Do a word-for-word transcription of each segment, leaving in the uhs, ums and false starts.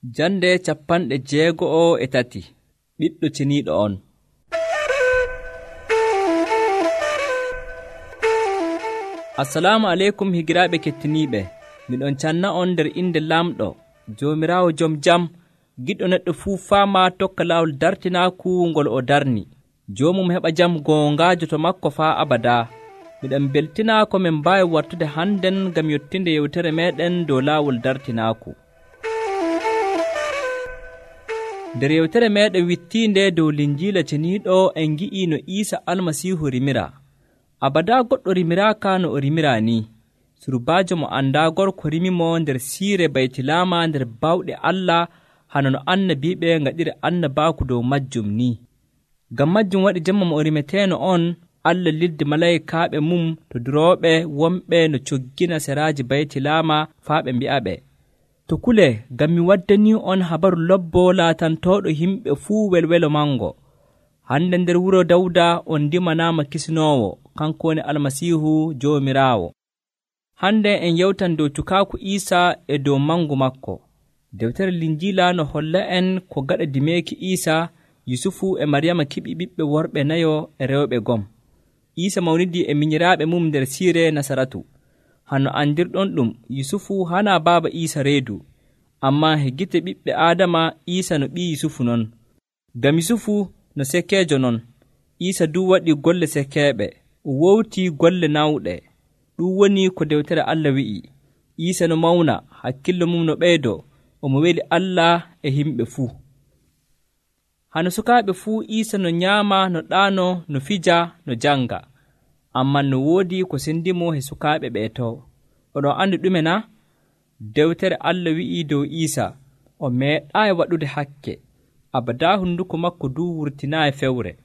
Jande capanɗe jeego'o e tati. Ɓiɗɗo ceniiɗo on. Assalamu aleykum higiraaɓe kettiniiɓe. Miɗon canna on nder inde Lamɗo, Joomiraawo jom jam, giɗɗo neɗɗo fuu faama tokka laawol dartinaaku ngol o darni. Joomum heɓa jam goongaajo to makko faa abadaa. Miɗen beltinaa ko min mbaawi wartude hannden ngam yottinde yewtere meeɗen dow laawol dartinaaku. Nder yewtere meeɗen wittiinde dow Linjiila ceniiɗo en ngi'ii no Iisa Almasiihu rimiraa. Abadaa goɗɗo rimiraaka no o rimiraa ni. Surbaajo mo andaa gorko rimimo nder siire Baytilaama nder bawɗe Allah hana no annabiiɓe ngaɗiri annabaaku dow majjum ni. Ngam majjum waɗi jemma mo o rimeteeno on, Allah lildi malaykaaɓe mum to durooɓe wonɓe no coggina seraaji Baytilaama faa ɓe mbi'aɓe, to kule ngam mi waddanii on habaru lobbo laatantooɗo yimɓe fuu welwelo mango. Hande nder wuro Dawda on ndimanaama kisinoowo, kanko woni Almasiihu Joomiraawo. Hande en yewtan dow cukaaku Iisa e dow mangu makko. Dewtere Linjiila no holla en ko gaɗa dimeeki Iisa, Yusufu e Maryama kiɓi ɓiɓɓe worɓe nayo e rewɓe gom. Iisa mawnidii e minyiraaɓe mum nder siire Nasaratu. Hano andirɗon ɗum, Yusufu hana baaba Iisa reedu, ammaa he gite ɓiɓɓe Aadama Iisa no ɓii Yusufu non. Ngam Yusufu no sekeejo non, Iisa du waɗi golle sekeeɓe, o wowtii golle nawɗe. Ɗum woni ko dewtere Allah wi'i, Iisa no mawna, hakkillo mum no ɓeydo, omo weli Allah e himɓe fuu. Hano sukaaɓe fuu Iisa no nyaama, no ɗaano, no fija, no janga. Amman no woodi ko sendimo he sukaaɓe ɓeeto. Oɗon andi ɗume na? Dewtere Allah wi'i dow Iisa, o meeɗaayi waɗude hakke. Abadaa hunduko makko du wurtinaayi fewre.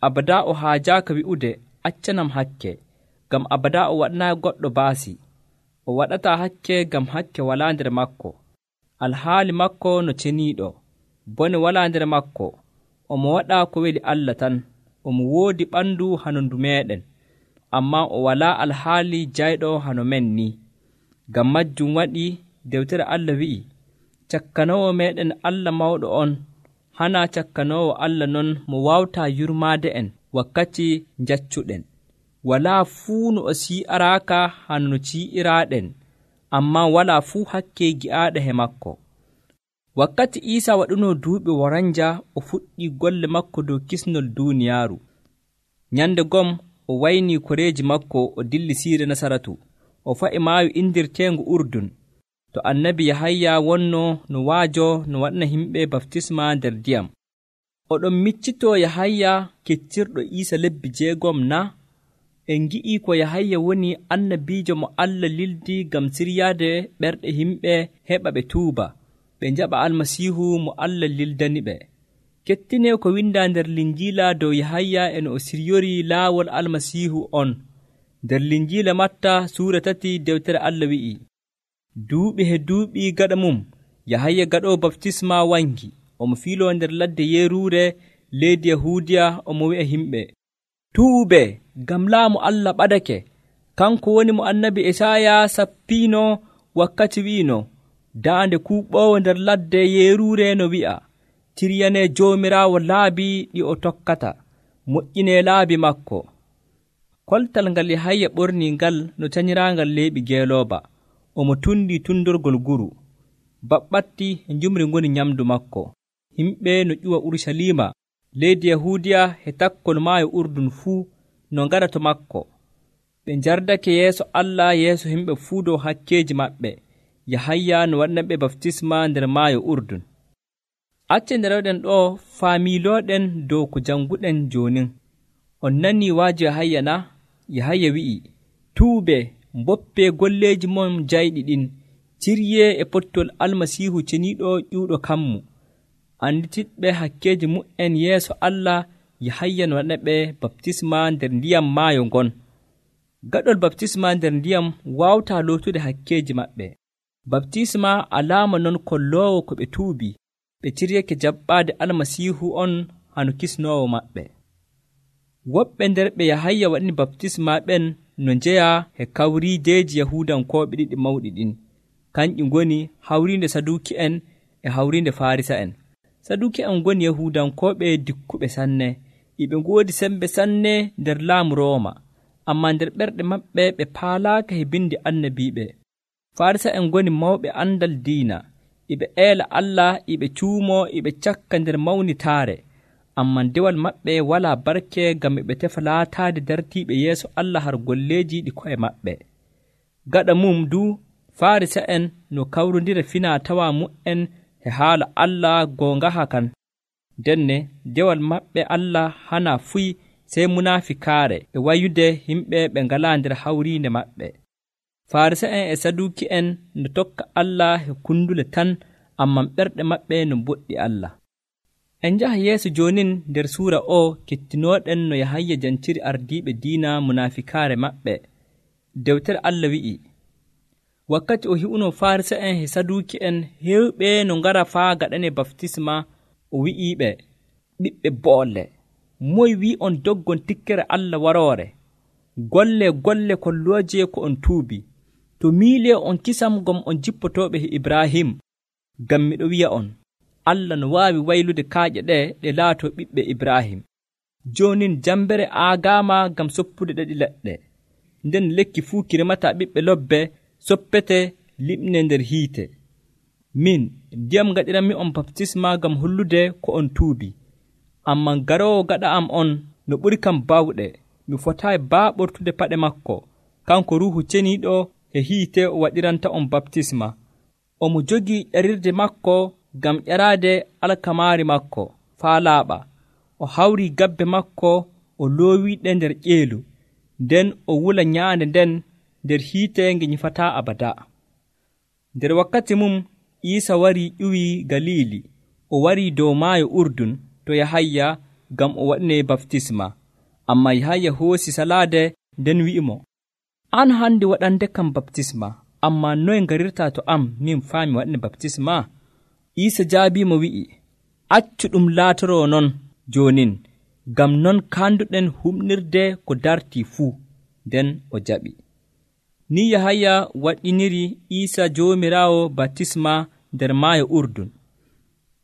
Abadaa o haajaaka wi'ude, accanam hakke, ngam abadaa o waɗanaayi goɗɗo baasi. O waɗataa hakke ngam hakke walaa nder makko. Alhaali makko no ceniiɗo, bone walaa nder makko. Omo waɗaa ko weli Allah tan. Omo woodi ɓandu hano ndu meeɗen, ammaa o walaa alhaali jayɗo hano men ni. Ngam majjum waɗi dewtere Allah wi'i, cakkanoowo meeɗen Allah mawɗo on, hana cakkanoowo Allah non mo waawtaa yurmaade en wakkati njaccuɗen. Walaa fuu no o sii'araaka hano no cii'iraaɗen, ammaa walaa fuu hakke gi'aaɗe he makko. Wakkati Iisa waɗunoo duuɓi waranja, o fuɗɗii golle makko dow kisnol duuniyaaru. Nyande gom o waynii koreeji makko, o dilli siire Nasaratu, o fa'i maayo indirteengu Urdun, to annabi Yahaya wonnoo no waajo no waɗna himɓe baftisma nder ndiyam. Oɗon miccitoo Yahaya kettirɗo Iisa lebbi jeegom na? En ngi'ii ko Yahaya woni annabiijo mo Allah lildi ngam siryaade ɓerɗe himɓe heɓa ɓe tuuba, ɓe njaɓa Almasiihu mo Allah lildani ɓe. Kettinee ko windaa nder Linjiila dow Yahaya e no o siryorii laawol Almasiihu on. Nder Linjiila Matta suura tati dewtere Allah wi'i, duuɓi he duuɓi gaɗa mum, Yahaya gaɗoo baftisma wangi, omo fiiloo nder ladde yeeruure leydi Yahuudiya, omo wi'a himɓe, tuube, ngam laamu Allah ɓadake. Kanko woni mo annabi Esaaya sappiino wakkati wi'ino, daande kuuɓoowo nder ladde yeeruure no wi'a, tiryanee Joomiraawo laabi ɗi o tokkata, moƴƴinee laabi makko. Koltal ngal Yahaya ɓornii ngal no canyiraangal leeɓi geelooba, omo tundi tundorgol guru, baɓɓatti e njumri ngoni nyamdu makko. Himɓe no ƴuwa Urusalima, leydi Yahuudiya he takkol maayo Urdun fuu no ngara to makko. Ɓe njardake yeeso Allah yeeso himɓe fuu dow hakkeeji maɓɓe. Yahaya no waɗnaɓe baftisma nder maayo Urdun. Acce nderewɗen ɗo faamiilooɗen dow ko janguɗen joonin. On nanii waaji Yahaya na? Yahaya wi'i, tuube, mboppee golleeji mon jayɗi ɗin, ciryee e pottol Almasiihu ceniiɗo ƴuuɗo kammu. Anditiɓɓe hakkeeji mu'en yeeso Allah, Yahaya no waɗnaɓe baftisma nder ndiyam maayo ngon. Gaɗol baftisma nder ndiyam waawtaa lootude hakkeeji maɓɓe. Baftisma alaama non kolloowo ko ɓe tuubi, ɓe ciryake jaɓɓaade Almasiihu on hano kisnoowo maɓɓe. Woɓɓe nder ɓe Yahaya waɗini baftisma ɓen no njeya he kawriideeji Yahuudankooɓe ɗiɗi mawɗi ɗin, kanƴi ngoni hawriinde Saduki'en e hawrinde Faarisa'en. Saduki'en ngoni Yahuudanko'ɓe dikkuɓe sanne, iɓe ngoodi sembe sanne nder laamu Rooma, ammaa nder ɓerɗe maɓɓe ɓe paalaaka he bindi annabiiɓe. Faarisa'en ngoni mawɓe andal diina, iɓe eela Allah, iɓe cuumoo, iɓe cakka nder mawnitaare, ammaa dewal maɓɓe walaa barke ngam iɓe tefa laataade dartiiɓe yeeso Allah har golleeji ɗi ko'e maɓɓe. Gaɗa mum du Faarisa'en no kawrondira finaa-tawaa mu'en e haala Allah goongaha kan. Denne dewal maɓɓe Allah hana fuy sey munaafikaare e wayude yimɓe ɓe ngalaa nder hawriinde maɓɓe. Faarisa'en e Saduki'en no tokka Allah e kundule tan, ammaa ɓerɗe maɓɓe no mboɗɗi Allah. En njaha yeeso joonin nder suura o kettinooɗen no Yahaya janciri ardiiɓe diina munaafikaare maɓɓe. Dewtere Allah wi'i, wakkati o hi'unoo Faarisa'en e Saduki'en heewɓe no ngara faa gaɗanee baftisma, o wi'iiɓe, ɓiɓɓe boolle, moy wi'on doggon tikkere Allah waroore? Golle golle kollooje ko on tuubi. To miilee on kisam ngam on jippotooɓe he Ibrahim. Ngam miɗo wi'a on, Allah no waawi waylude kaaƴe ɗee ɗe laatoo ɓiɓɓe Ibrahim. Joonin jambere aagaama ngam soppude ɗeɗi leɗɗe. Nden lekki fuu kirmataa ɓiɓɓe lobbe soppete liɓne nder hiite. Min ndiyam gaɗiranmi on baptisma ngam hollude ko on tuubi. Ammaa garoowo gaɗa am on no ɓuri kam bawɗe. Mi fotaayi baa ɓortude paɗe makko. Kanko Ruuhu Ceniiɗo e hiite o waɗiranta on baptisma. Omo jogii ƴarirde makko ngam ƴaraade alkamaari makko faa laaɓa. O hawrii gabbe makko, o loowiiɗe nder ƴeelu, nden o wula nyaande nden nder hiite nge nyifataa abadaa. Nder wakkati mum Iisa warii ƴuwii Galiili. O warii dow maayo Urdun to Yahaya ngam o waɗinee baptisma. Ammaa Yahaya hoosi salaade nden wi'imo, an hande waɗande kam baptisma, ammaa noye ngarirtaa to am min faa mi waɗine baptisma? Iisa jaabiimo wi'i, accu ɗum laatoroo non joonin, ngam non kaanduɗen humnirde ko dartii fuu. Nden o jaɓi. Ni Yahaya waɗiniri Iisa Joomiraawo baptisma nder maayo Urdun.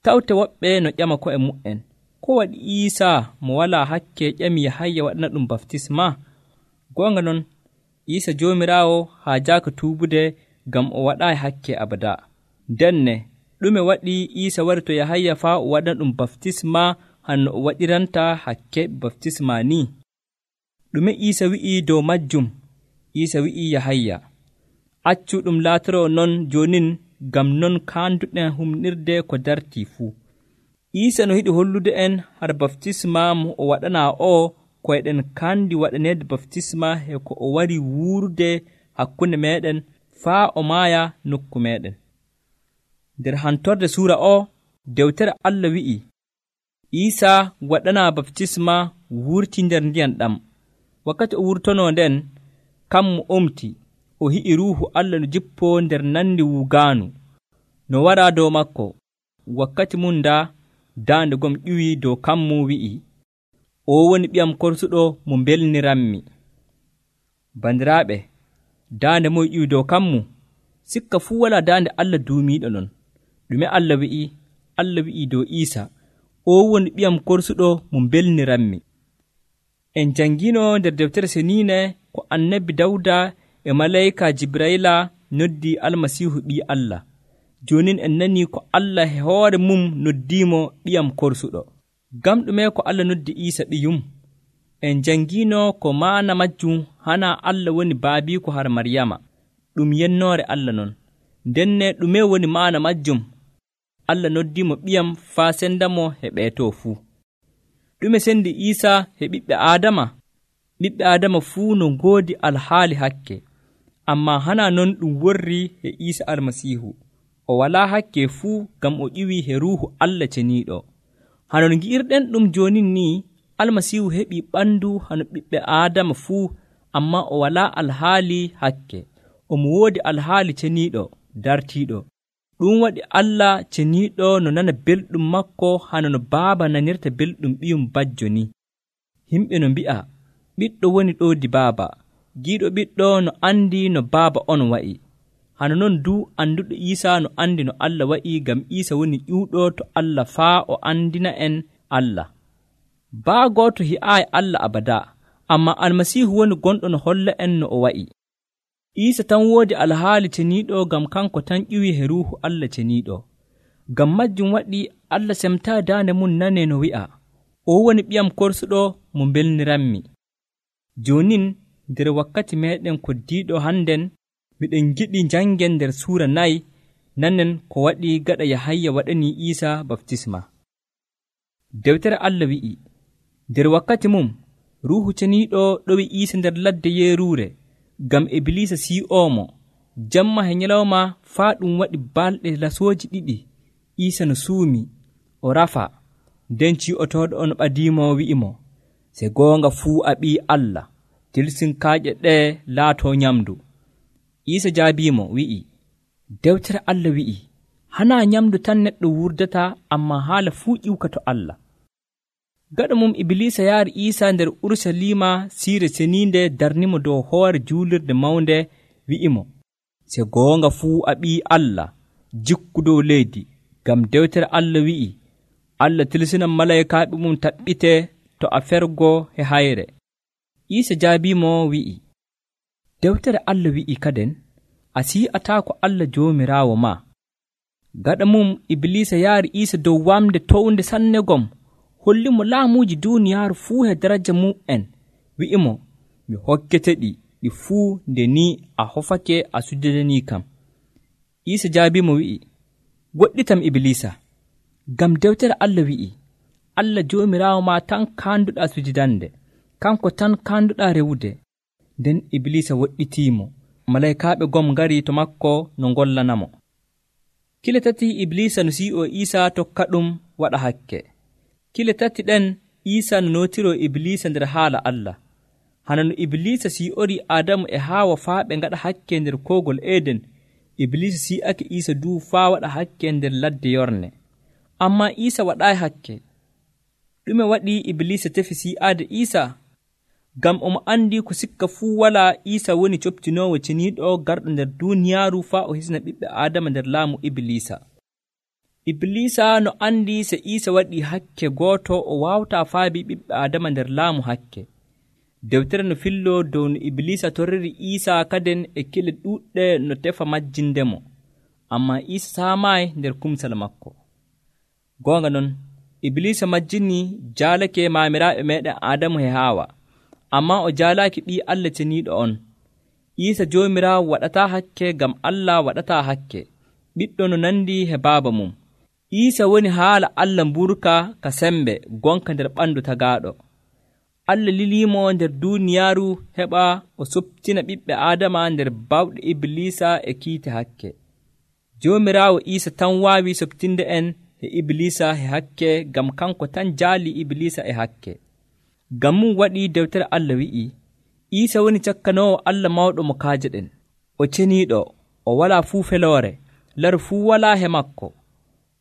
Tawte woɓɓe no ƴama ko'e mu'en, ko waɗi Iisa mo walaa hakke ƴami Yahaya waɗana ɗum baptisma? Goonga non, Iisa Joomiraawo haajaaka tuubude ngam o waɗaayi hakke abadaa. Denne ɗume waɗi Iisa wari to Yahaya faa o waɗana ɗum baptisma hanno o waɗiranta hakke baptisma ni? Ɗume Iisa wi'i dow majjum? Iisa wi'i Yahaya, accu ɗum laatoroo non joonin, ngam non kaanduɗen humnirde ko dartii fuu. Iisa no yiɗi hollude en har baptisma mo o waɗanaa o ko eɗen kandi waɗaneede baptisma e ko o wari wuurde hakkunde meeɗen faa o maaya nokku meeɗen. Nder hantorde suura o, dewtere Allah wi'i, Iisa waɗanaa baptisma wurti nder ndiyam ɗam. Wakkati o wurtonoo nden, kammo omti, o hi'i Ruuhu Allah no jippoo nder nandi wuugaanu, no waraa dow makko. Wakkati mum ndaa, daande gom ƴuwii dow kammu wi'i, o woni ɓiyam korsuɗo mo mbelniranmi. Bandiraaɓe, daande moye ƴuwi dow kammu? Sikka fuu walaa daande Allah duumiiɗo non. Ɗume Allah wi'i? Allah wi'i dow Iisa, o woni ɓiyam korsuɗo mo mbelniranmi. En janngino nder deftere seniine ko annabi Dawda e malayika Jibrayila noddi Almasiihu ɓii Allah. Joonin en nanii ko Allah e hoore mum noddiimo ɓiyam korsuɗo. Ngam ɗume ko Allah noddi Iisa ɓiyum? En janngino ko maana majjum hana Allah woni baabiiko har Maryama, ɗum yennoore Allah non. Ndenne ɗume woni maana majjum? Allah noddiimo ɓiyam faa sendamo he ɓeetoo fuu. Ɗume sendi Iisa he ɓiɓɓe Aadama? Ɓiɓɓe Aadama fuu no ngoodi alhaali hakke, ammaa hana non ɗum worri he Iisa Almasiihu. O walaa hakke fuu ngam o ƴiwii he Ruuhu Allah Ceniiɗo. Hanon ngi'irɗen ɗum joonin ni, Almasiihu heɓii ɓandu hano ɓiɓɓe Aadama fuu, ammaa o walaa alhaali hakke. Omo woodi alhaali ceniiɗo dartiiɗo. Ɗum waɗi Allah ceniiɗo no nana belɗum makko hano no baaba nanirta belɗum ɓiyum bajjo ni. Himɓe no mbi'a, ɓiɗɗo woni ɗoodi baaba, giiɗo ɓiɗɗo no andi no baaba on wa'i. hano non du anduɗo Iisa no andi no Allah wa'i ngam Iisa woni ƴiwɗo to Allah faa o andina en Allah. Baa gooto hi'aayi Allah abada, amma Almasiihu woni gonɗo no holla en no o wa'i. Iisa tan woodi alhaali ceniiɗo ngam kanko tan ƴiwi he Ruuhu Allah ceniiɗo. Ngam majjum waɗi Allah semtaa daande mum nanee no wi'a, o woni ɓiyam korsuɗo mo mbelniranmi. Joonin nder wakkati meeɗen koddiiɗo hannden, miɗen giɗi njangen nder suura nayi nanen ko waɗi gaɗa Yahaya waɗanii Iisa baftisma. Dewtere Allah wi'i, nder wakkati mum Ruuhu ceniiɗo ɗowi Iisa nder ladde yeeruure, ngam Ibliisa sii'oomo. Jamma he nyalawma faa ɗum waɗi balɗe lasooji ɗiɗi, Iisa no suumi, o rafa. Nden ci'otooɗo on ɓadiimo wi'imo, se goonga fuu a ɓii Allah, tilsin kaaƴe ɗee laatoo nyamdu. Iisa jaabiimo wi'i, dewtere Allah wi'i, hanaa nyamdu tan neɗɗo wurdata, amma haala fuu ƴiwka to Allah. Gaɗa mum Ibliisa yaari Iisa nder Urusalima siire seniinde darnimo dow hoore juulirde mawnde, wi'imo, se goonga fuu a ɓii Allah, jikku dow leydi, ngam dewtere Allah wi'i, Allah tilsinan malaykaaɓe mum taɓɓite to a fergo he hayre. Iisa jaabiimo wi'i, dewtere Allah wi'i kaden, a si'ataako Allah Joomiraawo ma. Gaɗa mum Ibliisa yaari Iisa dow wamde townde sannegom, hollimo laamuuji duuniyaaru fuu he daraja mu'en, wi'imo, mi hokkete ɗi ɗi fuu nde ni a hofake a sujjadanii kam. Iisa jaabiimo wi'i, goɗɗitam Ibliisa, ngam dewtere Allah wi'i, Allah Joomiraawo ma tan kaanduɗaa sujjidande, kanko tan kaanduɗaa rewude. Nden Ibliisa woɗɗitiimo, malaykaaɓe gom ngari to makko no ngollanamo. Kile tati Ibliisa no sii'o Iisa tokka ɗum waɗa hakke. Kile tati ɗen Iisa no nootiroo Ibliisa nder haala Allah. Hana no Ibliisa sii'ori Aadamu e Haawa faa ɓe ngaɗa hakke nder koogol Eeden, Ibliisa sii'ake Iisa duu faa waɗa hakke nder ladde yorne. Ammaa Iisa waɗaayi hakke. Ɗume waɗi Ibliisa tefi sii'aade Iisa? Ngam omo anndi ko sikka fuu walaa Iisa woni coptinoowo ceniiɗo garɗo nder duuniyaaru faa o hisna ɓiɓɓe Aadama nder laamu Ibliisa. Ibliisa no anndi se Iisa waɗii hakke gooto o waawtaa faabi ɓiɓɓe Aadama nder laamu hakke. Dewtere no fillo dow no Ibliisa torriri Iisa kaden e kile ɗuuɗɗe no tefa majjindemo, ammaa Iisa saamaayi nder kumsal makko. Goonga non, Ibliisa majjinii jaalake maamiraaɓe meeɗen Aadamu e Haawa, ammaa o jaalaaki ɓii Allah ceniiɗo on. Iisa Joomiraawo waɗataa hakke ngam Allah waɗataa hakke, ɓiɗɗo no nandi he baaba mum. Iisa woni haala Allah mburka ka sembe gonka nder ɓanndu tagaaɗo. Allah liliimo nder duuniyaaru heɓa o soptina ɓiɓɓe Aadama nder bawɗe Ibliisa e kiite hakke. Joomiraawo Iisa tan waawi soptinde en he Ibliisa he hakke, ngam kanko tan jaali Ibliisa e hakke. Ngam mum waɗi dewtere Allah wi'i, Iisa woni cakkanoowo Allah mawɗo mo kaajeɗen. O ceniiɗo, o walaa fuu feloore, laru fuu walaa he makko.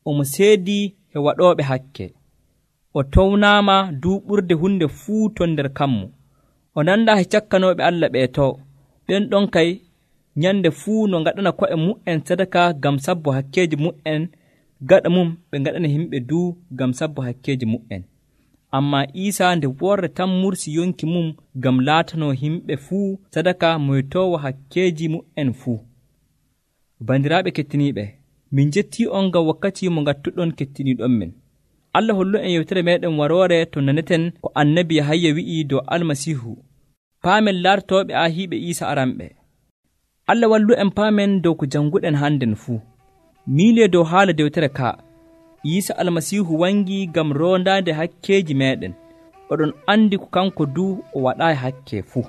Omo seedii he waɗooɓe hakke. O townaama duuɓurde hunde fuu ton nder kammu. O nandaa he cakkanooɓe Allah ɓee to, ɓen ɗon kay nyande fuu no ngaɗana ko'e mu'en sadaka ngam sabbo hakkeeji mu'en, gaɗa mum ɓe ngaɗana himɓe duu ngam sabbo hakkeeji mu'en. Ammaa Iisa nde worre tan mursi yonki mum ngam laatanoo himɓe fuu sadaka moytoowo hakkeeji mu'en fuu. Bandiraaɓe kettiniiɓe, min jettii on ngam wakkati mo ngattuɗon kettiniiɗon men. Allah hollu en yewtere meeɗen waroore to naneten ko annabi Yahaya wi'i dow Almasiihu, paamen laartooɓe aahiiɓe Iisa aranɓe. Allah wallu en paamen dow ko jannguɗen hannden fuu. Miilee dow haala dewtere ka, Iisa Almasiihu wangi ngam roondaande hakkeeji meeɗen. Oɗon andi ko kanko duu o waɗaayi hakke fuu.